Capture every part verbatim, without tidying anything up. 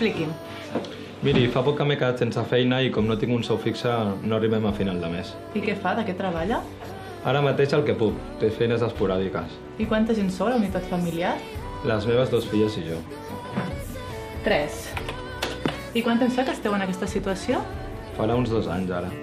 Expliqui'm. Miri, fa poc que m'he quedat sense feina i com no tinc un sou fixe no arribem a final de mes. I què fa? De què treballa? Ara mateix el que puc, té feines esporàdiques. I quanta gent sou a la unitat familiar? Les meves dues filles i jo. Tres. I quant temps fa que esteu en aquesta situació? Farà uns dos anys ara.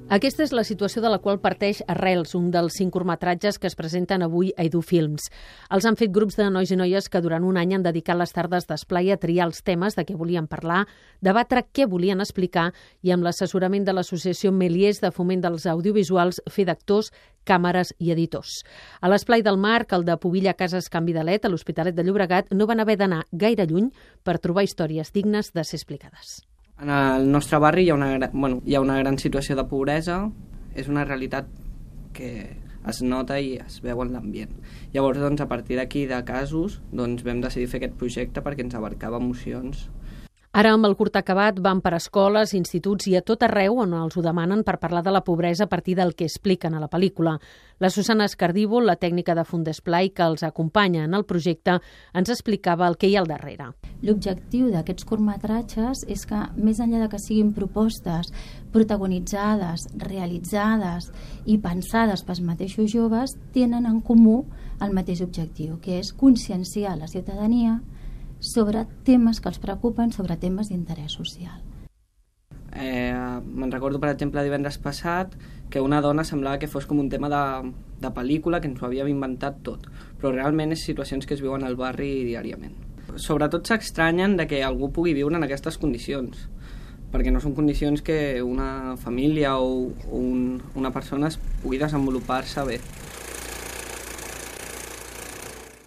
Aquesta és la situació de la qual parteix Arrels, un dels cinc curtmetratges que es presenten avui a Edu Films. Els han fet grups de nois i noies que durant un any han dedicat les tardes d'esplai a triar els temes de què volien parlar, debatre què volien explicar i amb l'assessorament de l'associació Méliès de foment dels audiovisuals fer d'actors, càmeres i editors. A l'esplai del Marc, el de Pubilla Cases Can Vidalet, a l'Hospitalet de Llobregat, no van haver d'anar gaire lluny per trobar històries dignes de ser explicades. En el nostre barri hi ha una, bueno, hi ha una gran situació de pobresa, és una realitat que es nota i es veu en l'ambient. Llavors, doncs, a partir d'aquí de casos, doncs, vam decidir fer aquest projecte perquè ens abarcava emocions. Ara, amb el curt acabat, van per escoles, instituts i a tot arreu on els ho demanen per parlar de la pobresa a partir del que expliquen a la pel·lícula. La Susana Escardívol, la tècnica de Fundesplai que els acompanya en el projecte, ens explicava el que hi ha al darrere. L'objectiu d'aquests curtmetratges és que, més enllà de que siguin propostes protagonitzades, realitzades i pensades pels mateixos joves, tenen en comú el mateix objectiu, que és conscienciar la ciutadania sobre temes que els preocupen, sobre temes d'interès social. Eh, me'n recordo, per exemple, divendres passat, que una dona semblava que fos com un tema de, de pel·lícula, que ens ho havíem inventat tot, però realment és situacions que es viuen al barri diàriament. Sobretot s'extranyen de que algú pugui viure en aquestes condicions, perquè no són condicions que una família o un, una persona es pugui desenvolupar-se bé.